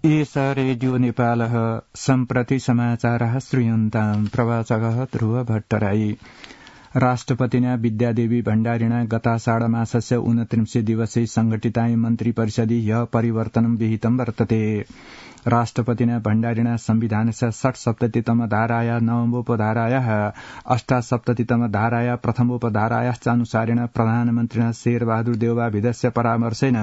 एष रेडियो नेपालः सम्प्रति समाचारः श्रूयन्ताम् प्रवाचकः ध्रुव भट्टराई राष्ट्रपतिना विद्यादेवी भण्डारिणा गताषाढमासस्य 29 दिवसे संघटिताय मन्त्री परिषदि ह्यः परिवर्तनं विहितं वर्तते। राष्ट्रपतिना भण्डारिणा संविधानस्य 67तम धाराया नवमोपधारायाः 78तम धाराया प्रथमोपधारायाश्च अनुसारेण प्रधानमन्त्रिणा शेरबहादुर देउवाभिधस्य परामर्शेन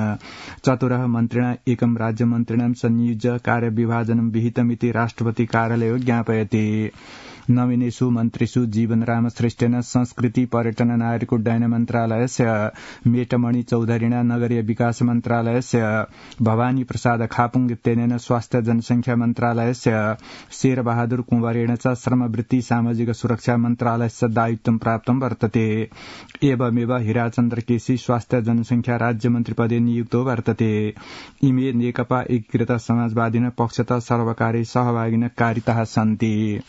चतुरः मन्त्रिणा एकं राज्यमन्त्रिणां संयुज्य कार्यविभाजनं विहितमिति राष्ट्रपति कार्यालयो ज्ञापयति। नवीनेषु मन्त्रिषु जीवनराम श्रेष्ठेन संस्कृति पर्यटन नागरिक उड्डयन मन्त्रालयस्य मेटमणि चौधरीणा नगरीय विकास मन्त्रालयस्य भवानी प्रसाद खापुङ इत्यनेन स्वास्थ्य जनसंख्या मन्त्रालयस्य शेरबहादुर कुँवरेण च श्रमवृत्ति सामाजिक सुरक्षा मन्त्रालयस्य दायित्वं प्राप्तं वर्तते। एवमेव हिराचन्द्र केसी स्वास्थ्य जनसंख्या राज्यमन्त्रिपदे नियुक्तो वर्तते। इमे नेकपा एकीकृत समाजवादिन पक्षतः सर्वकारी सहभागिन कारिताः सन्ति।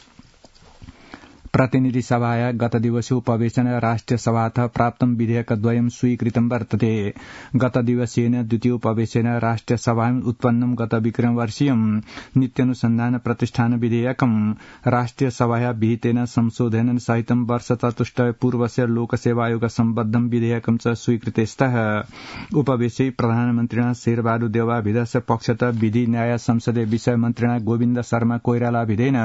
प्रतिनिधि सभाया गत दिवसे उपवेशन राष्ट्रिय सभातः प्राप्तं विधेयकद्वयं स्वीकृतं वर्तते। गत दिवसेन द्वितीय उपवेशेन राष्ट्रिय सभायां उत्पन्नं गत विक्रमवर्षीयं नित्यानुसन्धान प्रतिष्ठान विधेयकं राष्ट्रिय सभाया विहितेन संशोधनेन सहितं वर्ष चतुष्टय पूर्वस्य लोकसेवा आयोग सम्बद्धं विधेयकं च स्वीकृतेस्तः। उपवेशे प्रधानमन्त्रिणा शेरबहादुर देउवाभिधस्य पक्षतः विधि न्याय संसदीय विषय मन्त्रिणा गोविन्द शर्मा कोइरालाभिधेन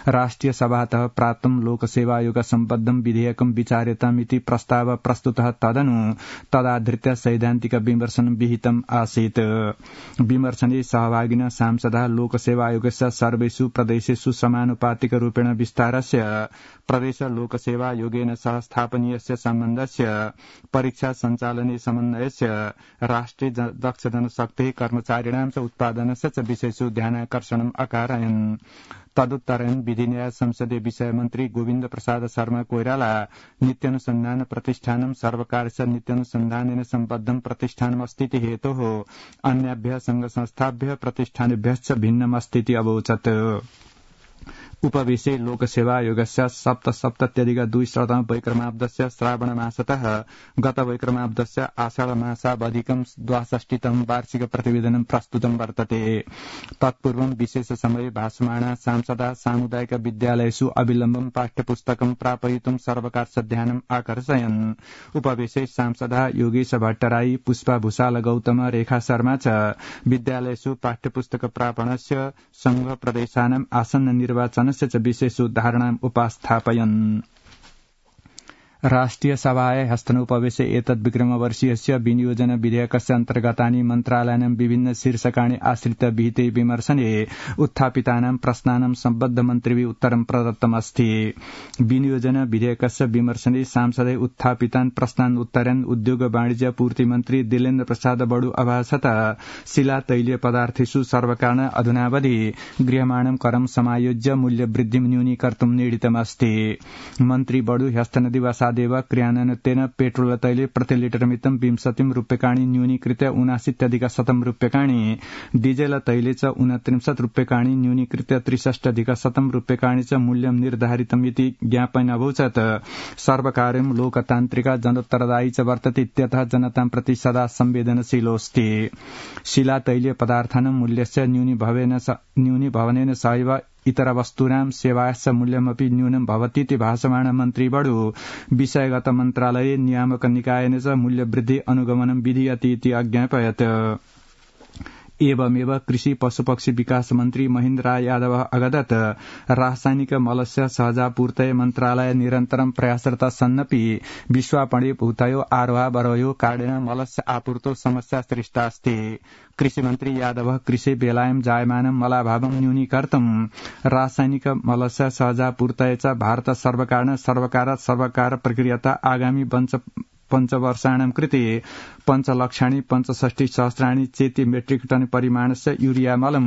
राष्ट्रिय सभातः प्राप्तं लोकसेवा आयोग सम्बद्धं विधेयकं विचार्यतामिति प्रस्ताव प्रस्तुतः तदनु तदाधृत्य सैद्धान्तिक विमर्शनं विहितम् आसीत्। विमर्शने सहभागिनः सांसदः लोकसेवा आयोगस्य सर्वेषु प्रदेशेषु समानुपातिक रूपेण विस्तारस्य प्रदेश लोकसेवा आयोगेन सह स्थापनीयस्य सम्बन्धस्य परीक्षा सञ्चालने समन्वयस्य राष्ट्रिय दक्ष जनशक्तिः कर्मचारिणां च उत्पादनस्य च विषयेषु ध्यानाकर्षणम् अकारयन्। तदुत्तरेण विधि न्याय संसदीय विषय मन्त्री गोविन्द प्रसाद शर्मा कोइराला नित्यानुसन्धान प्रतिष्ठानं सर्वकारस्य नित्यानुसन्धानेन सम्बद्धं प्रतिष्ठानमस्तीति हेतोः अन्याभ्यः संघ संस्थाभ्यः प्रतिष्ठानेभ्यश्च भिन्नमस्तीति अवोचत्। उपवेशे लोकसेवा आयोगस्य 77+2 वैक्रमाब्दस्य श्रावणमासतः गत वैक्रमाब्दस्य आषाढमासावधिकं 62तम वार्षिक प्रतिवेदनं प्रस्तुतं वर्तते। तत्पूर्वं विशेष समये भाषमाणा सांसदा सामुदायिक विद्यालयेषु अविलम्बं पाठ्यपुस्तकं प्रापयितुं सर्वकारस्य ध्यानम् आकर्षयन्। उपवेशे सांसदा योगेश भट्टराई, पुष्पा भूषाल गौतम, रेखा शर्मा च विद्यालयेषु पाठ्यपुस्तक प्रापणस्य संघ प्रदेशानाम् आसन्न निर्वाचन विशेष धारणाम् उपास्थापयन्। राष्ट्रिय सभाय हस्तनोपवेशे एतद् विक्रमवर्षीयस्य विनियोजन विधेयकस्य अन्तर्गतानि मन्त्रालयानां विभिन्न शीर्षकाणि आश्रित्य विहिते विमर्शने उत्थापितानां प्रश्नानां सम्बद्ध मन्त्रिभिः उत्तरं प्रदत्तमस्ति। विनियोजन विधेयकस्य विमर्शने सांसदै उत्थापितान् प्रश्नान् उत्तरन् उद्योग वाणिज्य पूर्ति मन्त्री दिलेन्द्र प्रसाद बडु अभासत शिला तैलीय पदार्थेषु सर्वकारेण अधुनावधि गृह्यमाणं करं समायोज्य मूल्यवृद्धिं न्यूनीकर्तुं निडितमस्ति। मन्त्री बडु ह्यस्तनदिवसा देव क्रियान्वयनेन पेट्रोल तैले प्रति लिटर मितं 20 रूप्यकाणि न्यूनीकृत्य 79,100 रूप्यकाणि, डीजेल तैले च 29 रूप्यकाणि न्यूनीकृत्य 63,100 रूप्यकाणि च मूल्यं निर्धारितमिति ज्ञापयन् अभूत्। सर्वकारं लोकतान्त्रिक जनोत्तरदायी च वर्तते इत्यतः जनतां प्रति सदा संवेदनशीलोऽस्ति। शिला तैलीय पदार्थानां मूल्यस्य न्यूनीभवनेन सहैव इतर वस्तूनां सेवायाश्च मूल्यमपि न्यूनं भवतीति भाषमाण मन्त्री बडु विषयगत मन्त्रालये नियामक निकायेन च मूल्यवृद्धि अनुगमनं विधीयते इति अज्ञापयत्। एवमेव कृषि पशुपक्षी विकास मन्त्री महेन्द्र राय यादव अगदत् रासायनिक मलस्य सहजापूर्तये मन्त्रालय निरन्तरं प्रयासरत सन्नपि विश्वापणे भूतयो आरोहावरोहयो कारणेन मलस्य आपूर्तौ समस्या सृष्टा अस्ति। कृषि मन्त्री यादव कृषि बेलायां जायमानं मलाभावं न्यूनीकर्तुं रासायनिक मलस्य सहजापूर्तये च भारत सर्वकार प्रक्रियता आगामी पञ्चवर्षाणां कृते 5,65,सहस्राणि चेति मेट्रिक टन परिमाणस्य यूरिया मलं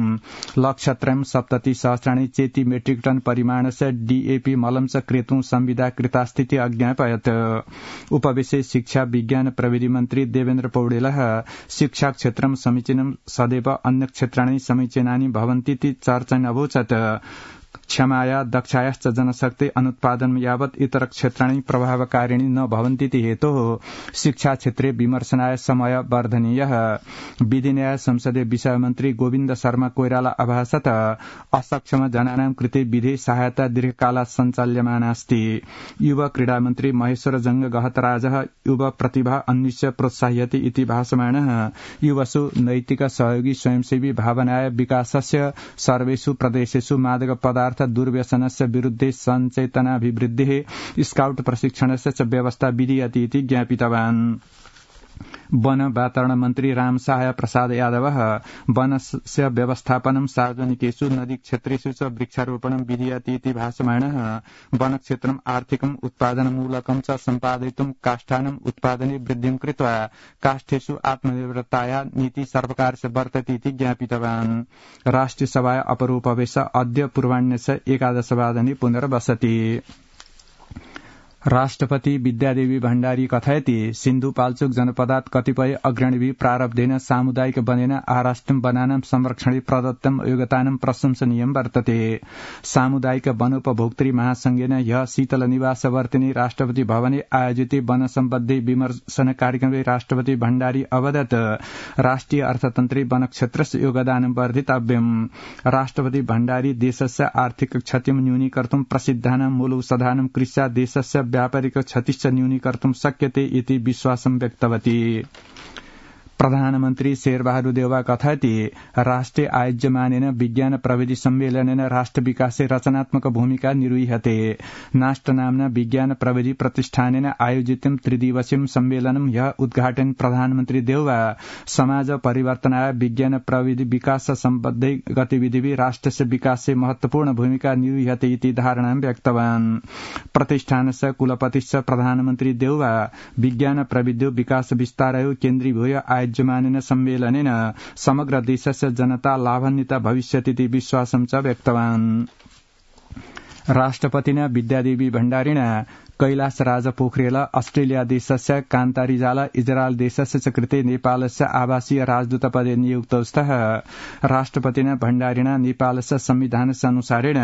1,70,70,000 चेति मेट्रिक टन परिमाणस्य डीएपी मलं च क्रेतुं संविदा कृतास्थिति अज्ञापयत्। उपवेशे शिक्षा विज्ञान प्रविधि मन्त्री देवेन्द्र पौडेलः शिक्षा क्षेत्रं समीचीनं सदैव अन्य क्षेत्राणि समीचीनानि भवन्तीति चर्चयन् अभूत्। क्षमाया दक्षायाश्च जनशक्ति अनुत्पादन यावत् इतर क्षेत्राणि प्रभावकारिणी न भवन्तीति हेतोः शिक्षा क्षेत्रे विमर्शनाय समय वर्धनीयः। विधि न्याय संसदीय विषय मन्त्री गोविन्द शर्मा कोइराला अभासत असक्षम जनानां कृते विधि सहायता दीर्घकालात् सञ्चाल्यमानास्ति। युवा क्रीडा मन्त्री महेश्वर जंग गहतराजः युवा प्रतिभा अन्विष्य प्रोत्साह्यति इति भाषमाणः युवसु नैतिक सहयोगी स्वयंसेवी भावनाय विकासस्य सर्वेषु प्रदेशेषु मादक पदार्थ दुर्व्यसनस्य विरुद्धे सञ्चेतनाभिवृद्धेः स्काउट प्रशिक्षणस्य च व्यवस्था विधीयते इति ज्ञापितवान्। वन वातावरण मन्त्री राम सहाय प्रसाद यादवः वनस्य व्यवस्थापनं सार्वजनिकेषु नदी क्षेत्रेषु च वृक्षारोपणं विधीयते इति भाषमाणः वनक्षेत्रम् आर्थिकम् उत्पादनमूलकं च सम्पादयितुं काष्ठानाम् उत्पादने वृद्धिं कृत्वा काष्ठेषु आत्मनिर्भरताया नीति सर्वकारस्य वर्तते इति ज्ञापितवान्। राष्ट्रियसभाया अपरोपवेश अद्य पूर्वाह्णस्य 11:00 पुनर्वसति। राष्ट्रपति विद्यादेवी भण्डारी कथयति सिन्धुपाल्चोक जनपदात् कतिपय अग्रणीभिः प्रारब्धेन सामुदायिक वनेन आराष्ट्रं वनानां संरक्षणे प्रदत्तं योगदानं प्रशंसनीयं वर्तते। सामुदायिक वनोपभोक्तृ महासंघेन ह्यः शीतलनिवासवर्तिनि राष्ट्रपति भवने आयोजिते वन सम्बद्धे विमर्शन कार्यक्रमे राष्ट्रपति भण्डारी अवदत् राष्ट्रिय अर्थतन्त्रे वनक्षेत्रस्य योगदानं वर्धितव्यम्। राष्ट्रपति भण्डारी देशस्य आर्थिक क्षतिं न्यूनीकर्तुं प्रसिद्धानां मूलौषधानां कृत्या देशस्य व्यापारिक क्षतिश्च न्यूनीकर्तुं शक्यते इति विश्वासं व्यक्तवती। प्रधानमन्त्री शेरबहादुर देउवा कथयति राष्ट्रे आयोज्यमानेन विज्ञान प्रविधि सम्मेलनेन राष्ट्र विकासे रचनात्मक भूमिका निर्वह्यते। नास्ट नाम्ना विज्ञान प्रविधि प्रतिष्ठानेन आयोजितं त्रिदिवसीयं सम्मेलनं ह्यः उद्घाटन प्रधानमन्त्री देउवा समाज परिवर्तनाय विज्ञान प्रविधि विकास सम्बद्धै गतिविधिभिः राष्ट्रस्य विकासे महत्वपूर्ण भूमिका निर्वह्यते इति धारणां व्यक्तवान्। प्रतिष्ठानस्य कुलपतिश्च प्रधानमन्त्री देउवा विज्ञान प्रविधि विकास विस्तारयो केन्द्रीभूय आयोज्यमानेन सम्मेलनेन समग्र देशस्य जनता लाभान्विता भविष्यतीति विश्वासं च व्यक्तवान्। राष्ट्रपतिना विद्यादेवी भण्डारिणा कैलासराज पोखरेल ऑस्ट्रेलिया देशस्य कान्तारिजाल इजरायल देशस्य च कृते नेपालस्य आवासीय राजदूतपदे नियुक्तौ स्तः। राष्ट्रपतिना भण्डारिणा नेपालस्य संविधानस्य अनुसारेण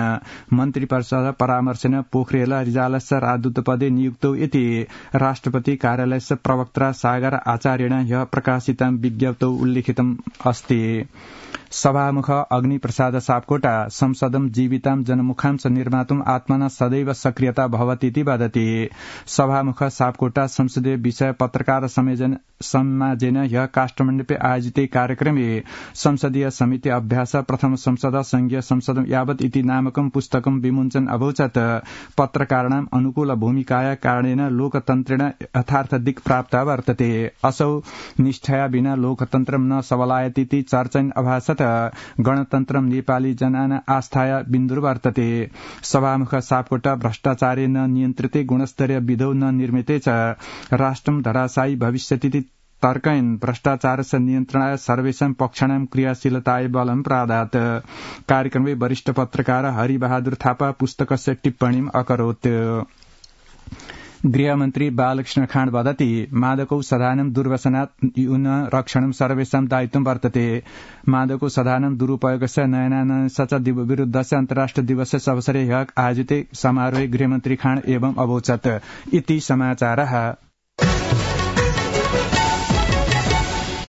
मन्त्रिपरिषद परामर्शेन पोखरेल रिजालस्य राजदूतपदे नियुक्तौ इति राष्ट्रपति कार्यालयस्य प्रवक्ता सागर आचार्येण ह्यः प्रकाशितं विज्ञप्तौ उल्लिखितम् अस्ति। सभामुख अग्निप्रसाद सापकोटा संसदं जीवितां जनमुखां च निर्मातुम् आत्मना सदैव सक्रियता भवतीति वदति। सभामुख सापकोटा संसदीय विषय पत्रकार समाजेन ह्यः काष्ठमण्डपे आयोजिते कार्यक्रमे संसदीय समिति अभ्यास प्रथम संसद संघीय संसद यावत् इति नामकं पुस्तकं विमुञ्चन् अभूचत्। पत्रकाराणाम् अनुकूल भूमिकाया कारणेन लोकतन्त्रेण यथार्थ दिक् प्राप्ता वर्तते। असौ निष्ठया विना लोकतन्त्रं न सबलायतीति चर्चन् अभासत्। गणतन्त्रं नेपाली जनानां आस्थाया बिन्दुर्वर्तते। सभामुख सापकोटा भ्रष्टाचारे न नियन्त्रिते गुणस्तरीय विधौ न निर्मिते च राष्ट्रं धराशायी भविष्यतीति तर्कयन् भ्रष्टाचारस्य नियन्त्रणाय सर्वेषां पक्षाणां क्रियाशीलताय बलं प्रादात्। कार्यक्रमे वरिष्ठ पत्रकार हरिबहादुर थापा पुस्तकस्य टिप्पणीम् अकरोत्। गृहमन्त्री बालकृष्ण खाँड वदति मादकौषधानां दुर्व्यसनात् न्यून रक्षणं सर्वेषां दायित्वं वर्तते। मादकौषधानां दुरुपयोगस्य नयनानयनस्य च विरुद्धस्य अन्तर्राष्ट्रिय दिवसस्य अवसरे ह्यः आयोजिते समारोहे गृहमन्त्री खाँड एवं अवोचत् इति समाचारः।